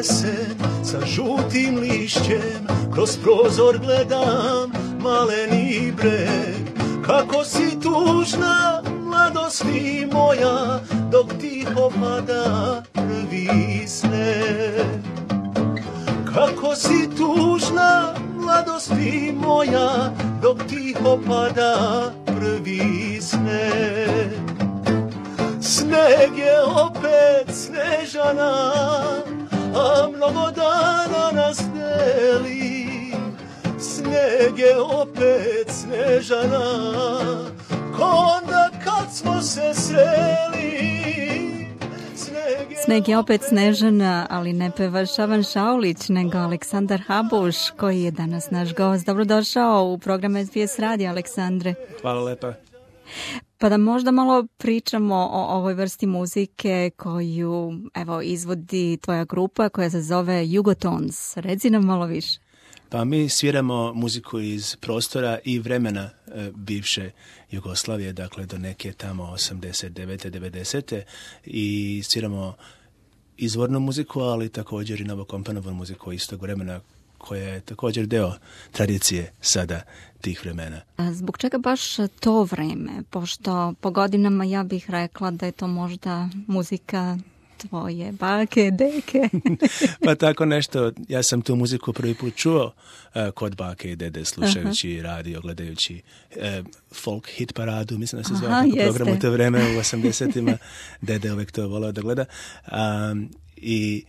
jesen sa žutim lišćem, kroz prozor gledam maleni breg. Kako si tužna, mladosti moja, dok tiho pada prvi sneg. Kako si tužna, mladosti moja, dok tiho pada prvi sneg. Sneg je opet Snežana, a mnogo dana nas deli. Sneg je opet Snežana, ko onda kad smo se sreli. Sneg je opet Snežana, ali ne peva Šaban Šaulić, nego Aleksandar Habuš, koji je danas naš gost. Dobrodošao u program SBS Radio, Aleksandre. Hvala lepa. Pa da možda malo pričamo o ovoj vrsti muzike koju izvodi tvoja grupa koja se zove Jugotons. Reci nam malo više. Pa mi sviramo muziku iz prostora i vremena bivše Jugoslavije, dakle do neke tamo 89. 90. i sviramo izvornu muziku, ali također i novokomponovanu muziku istog vremena koja je također deo tradicije sada tih vremena. A zbog čega baš to vreme? Pošto po godinama ja bih rekla da je to možda muzika tvoje bake, deke. Pa tako nešto. Ja sam tu muziku prvi put čuo kod bake i dede, slušajući radio, gledajući folk hit paradu, mislim da se zove program u to vreme u 80-ima. Dede uvijek to voleo da gleda. I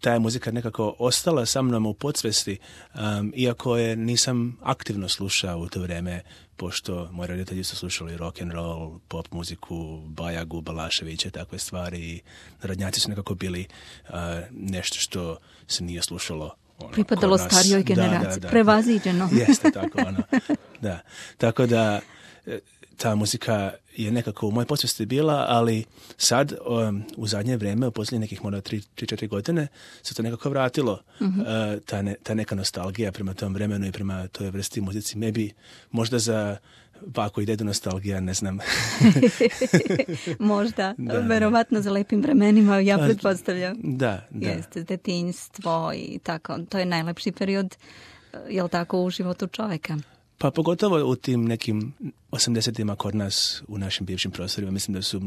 ta je muzika nekako ostala sa mnom u podsvesti, iako je nisam aktivno slušao u to vreme, pošto moji roditelji su slušali rock and roll, pop muziku, Bajagu, Balaševića, takve stvari i narodnjaci su nekako bili nešto što se nije slušalo. Pripadalo starijoj generaciji, prevaziđeno. Jeste, tako da. Tako da ta muzika je nekako u mojoj podsvesti bila, ali sad u zadnje vrijeme, u posljednjih nekih možda 3-4 godine, se to nekako vratilo. Ta neka nostalgija prema tom vremenu i prema toj vrsti muzici. Možda za baku i dedu nostalgija, ne znam. Možda, verovatno za lepim vremenima, ja pretpostavljam. Da. Jeste, detinjstvo i tako. To je najlepši period, jel tako, u životu čoveka? Pa pogotovo u tim nekim 80-ima kod nas u našim bivšim prostorima. Mislim da su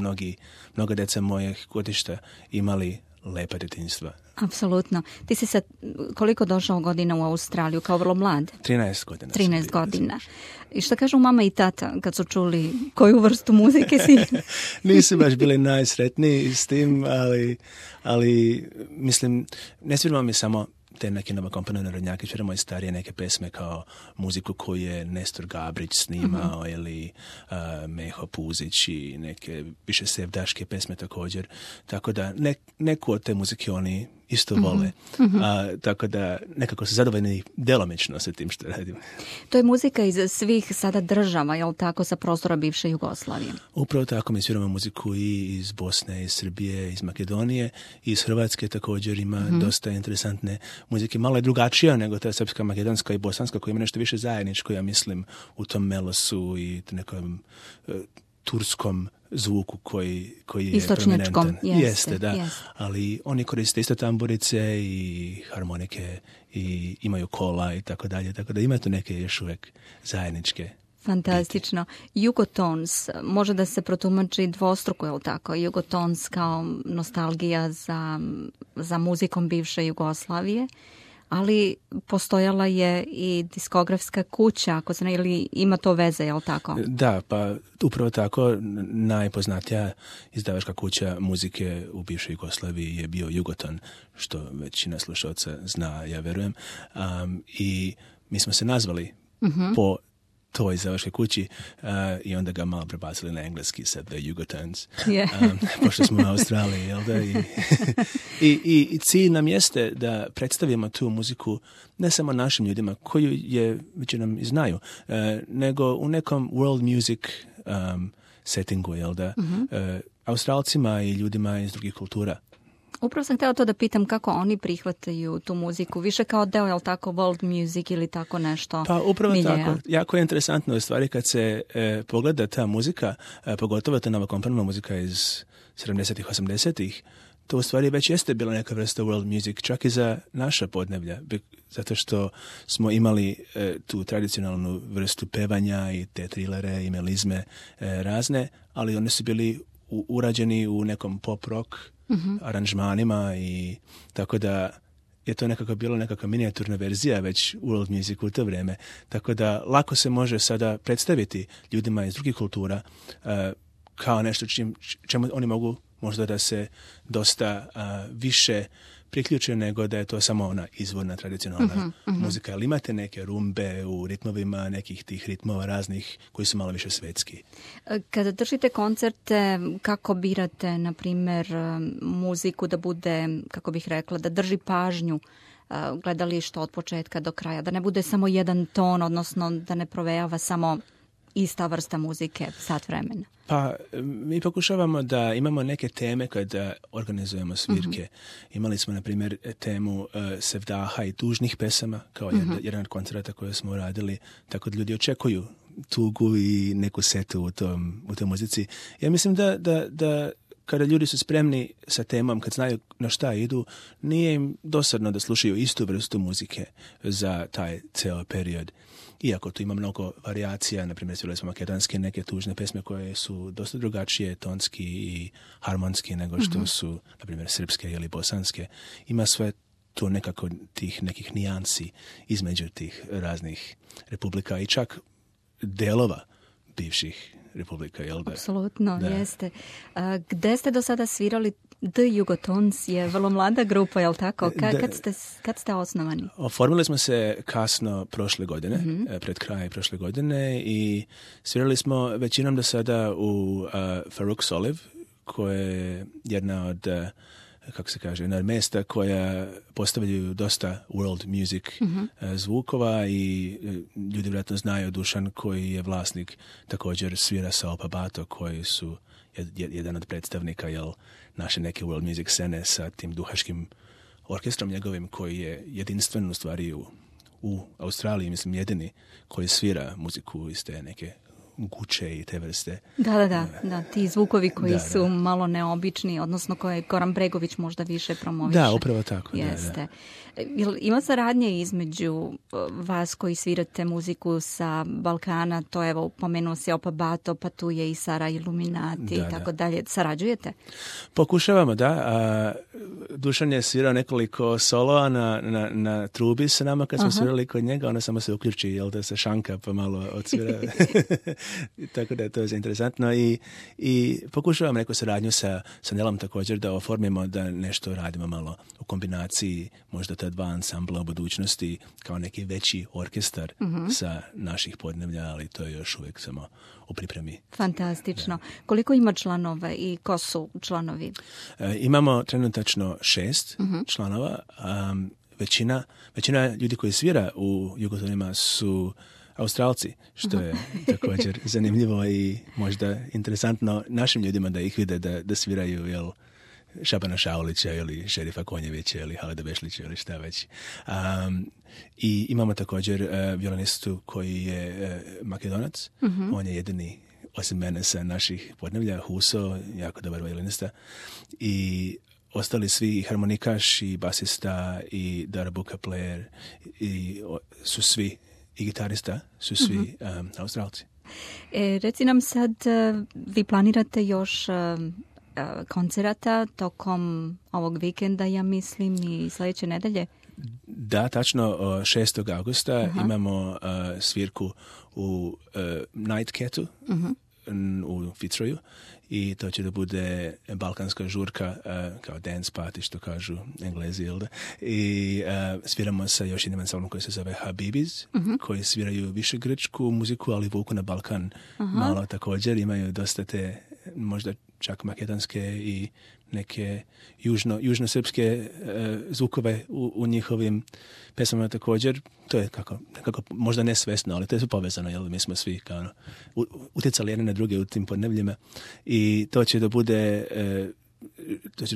mnoga deca mojih godišta imali lepa djetinjstva. Apsolutno. Ti si sad koliko došao godina u Australiju, kao vrlo mlad? 13 godina. 13 godina. I šta kažu mama i tata kad su čuli koju vrstu muzike si? Nisu baš bili najsretniji s tim, ali mislim, ne sviramo mi samo te neke novokomponovane narodnjake, sviramo i starije neke pesme kao muziku koju je Nestor Gabrić snimao ili Meho Puzić i neke više sevdaške pesme također. Tako da neku od te muzike oni isto vole. Tako da nekako su zadovoljni delomično sa tim što radimo. To je muzika iz svih sada država, jel tako, sa prostora bivše Jugoslavije? Upravo tako, mi sviramo muziku i iz Bosne, iz Srbije, iz Makedonije, iz Hrvatske također ima dosta interesantne muzike. Malo je drugačija nego ta srpska, makedonska i bosanska koja ima nešto više zajedničko, ja mislim, u tom melosu i nekom turskom zvuku koji je prominentan. Jeste. Ali oni koriste isto tamburice i harmonike i imaju kola i tako dalje. Tako da ima tu neke još uvijek zajedničke. Fantastično. Jugotons može da se protumači dvostruko, je li tako? Jugotons kao nostalgija za muzikom bivše Jugoslavije, ali postojala je i diskografska kuća, ako se ne, ili ima to veze, je li tako? Da, pa upravo tako najpoznatija izdavačka kuća muzike u bivšoj Jugoslaviji je bio Jugoton, što većina slušalca zna, ja verujem. I mi smo se nazvali po toj izdavačkoj kući i onda ga malo prebacili na engleski sa The Jugotons. Pošto smo u Australiji, jel da? I cilj nam jeste da predstavimo tu muziku ne samo našim ljudima, koju je većinom i znaju, nego u nekom world music settingu, jel da? Australcima i ljudima iz drugih kultura. Upravo sam htjela to da pitam kako oni prihvataju tu muziku, više kao deo, je li tako, world music ili tako nešto? Pa upravo tako. Jako je interesantno u stvari kad se pogleda ta muzika, pogotovo ta nova komponovana muzika iz 70-ih, 80-ih, to u stvari već jeste bila neka vrsta world music, čak i za naša podneblja, zato što smo imali tu tradicionalnu vrstu pevanja i te trilere i melizme razne, ali oni su bili urađeni u nekom pop rock aranžmanima i tako da je to nekako bilo nekakva minijaturna verzija već world music u to vrijeme. Tako da lako se može sada predstaviti ljudima iz drugih kultura kao nešto čemu oni mogu možda da se dosta više priključe nego da je to samo ona izvorna tradicionalna muzika. Ali imate neke rumbe u ritmovima, nekih tih ritmova raznih koji su malo više svetski. Kada držite koncerte, kako birate, na primjer, muziku da bude, kako bih rekla, da drži pažnju gledališta od početka do kraja, da ne bude samo jedan ton, odnosno da ne provejava samo ista vrsta muzike sat vremena? Pa mi pokušavamo da imamo neke teme kada organizujemo svirke. Imali smo, na primjer, temu sevdaha i tužnih pesama kao jedan od koncerata koje smo radili, tako da ljudi očekuju tugu i neku setu u toj muzici. Ja mislim da kada ljudi su spremni sa temom, kad znaju na šta idu, nije im dosadno da slušaju istu vrstu muzike za taj ceo period. Iako tu ima mnogo varijacija, na primjer svirali smo makedonske neke tužne pesme koje su dosta drugačije tonski i harmonski nego što su, na primjer, srpske ili bosanske. Ima sve tu nekako tih nekih nijansi između tih raznih republika i čak delova bivših republika, jel da? Apsolutno, jeste. Gde ste do sada svirali? The Jugotons je vrlo mlada grupa, jel tako? Kad ste osnovani? Oformili smo se kasno prošle godine, pred kraj prošle godine i svirali smo većinom do sada u Farouk Soliv, koja je jedna od kako se kaže, jedna mesta koja postavljaju dosta world music zvukova i ljudi vjerojatno znaju Dušan koji je vlasnik, također svira sa Opa Bato koji su jedan od predstavnika naše neke world music scene sa tim duhačkim orkestrom njegovim koji je jedinstven u stvari u Australiji, mislim jedini koji svira muziku iz te neke guče i te vrste. Da, ti zvukovi koji su malo neobični, odnosno koje Goran Bregović možda više promoviše. Da, upravo tako. Jeste. Ima saradnje između vas koji svirate muziku sa Balkana, to evo pomenuo se Opa Bato, pa tu je i Sara Illuminati i tako dalje. Sarađujete? Pokušavamo, da. Dušan je svirao nekoliko soloa na trubi sa nama kad smo svirali kod njega, ona samo se uključi, da se šanka pa malo odsvira. Tako da je to interesantno i pokušavam neku saradnju sa Nelom također da oformimo da nešto radimo malo u kombinaciji možda ta dva ansambla u budućnosti kao neki veći orkestar sa naših podneblja, ali to je još uvijek samo u pripremi. Fantastično. Koliko ima članova i ko su članovi? Imamo trenutačno 6 članova. Većina ljudi koji svira u Jugotonima su Australci, što je također zanimljivo i možda interesantno našim ljudima da ih vide da sviraju Šabana Šaulića ili Šerifa Konjevića ili Halida Bešlića ili šta već. I imamo također violinistu koji je Makedonac. On je jedini osim mene sa naših podneblja, Huso, jako dobar violinista. I ostali svi harmonikaš i basista i darabuka player su svi i gitarista su svi Australci. Reci nam sad, vi planirate još koncerata tokom ovog vikenda, ja mislim, i sljedeće nedelje? Da, tačno 6. augusta imamo svirku u Night Catu u Fitzroyu i to će da bude balkanska žurka kao dance party, što kažu Englezi, jel da? I sviramo sa još jednim ansamblom koji se zove Habibis, koji sviraju više grčku muziku, ali vuku na Balkan malo također. Imaju dosta te možda čak makedonske i neke južno-srpske zvukove u njihovim pesmama također. To je kako možda nesvesno, ali to je povezano, jer mi smo svi kao utjecali jedne na druge u tim podnebljima i to će da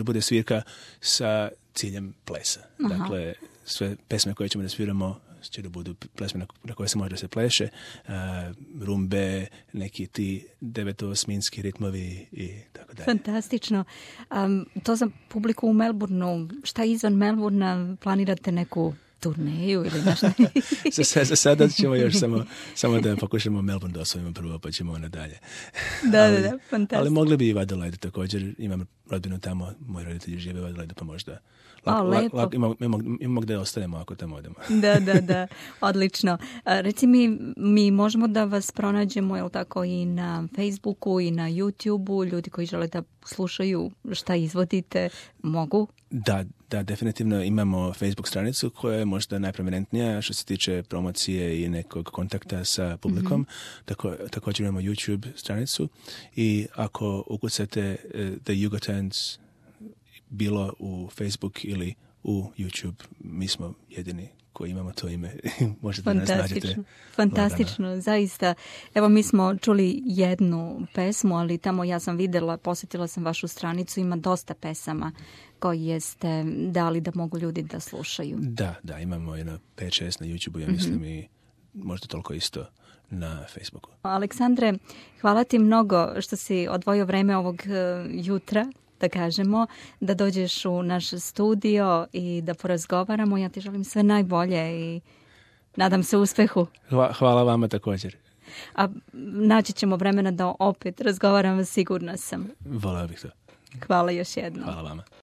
bude svirka sa ciljem plesa. Dakle, sve pesme koje ćemo da sviramo će da budu plesme na koje se može da se pleše, rumbe, neki ti devetosminski ritmovi i tako dalje. Fantastično. To za publiku u Melbourneu, šta izvan Melbourna, planirate neku turneju ili nešto? Za sada ćemo još samo da pokušamo Melbourne da osvojimo prvo, pa ćemo nadalje. Da, fantastično. Ali mogli bi i u Adelaide također, imam rodbinu tamo, moji roditelji žive u Adelaide, pa možda imamo gde ostanemo ako tamo odemo. Da, odlično. Reci mi možemo da vas pronađemo, jel tako, i na Facebooku i na YouTubeu, ljudi koji žele da slušaju šta izvodite, mogu? Da, definitivno imamo Facebook stranicu koja je možda najprominentnija što se tiče promocije i nekog kontakta sa publikom. Također imamo YouTube stranicu i ako ukucate The Jugotons bilo u Facebook ili u YouTube, mi smo jedini koji imamo to ime. Možete da nas nađete. Fantastično, zaista. Evo, mi smo čuli jednu pesmu, ali tamo ja sam videla, posjetila sam vašu stranicu, ima dosta pesama koje ste dali da mogu ljudi da slušaju. Da, imamo jedno 5-6 na YouTube-u, ja mislim, i možda toliko isto na Facebooku. Aleksandre, hvala ti mnogo što si odvojio vreme ovog jutra, da kažemo, da dođeš u naš studio i da porazgovaramo. Ja ti želim sve najbolje i nadam se uspehu. Hvala vama također. A naći ćemo vremena da opet razgovaramo, sigurna sam. Voleo bih to. Hvala još jednom. Hvala vama.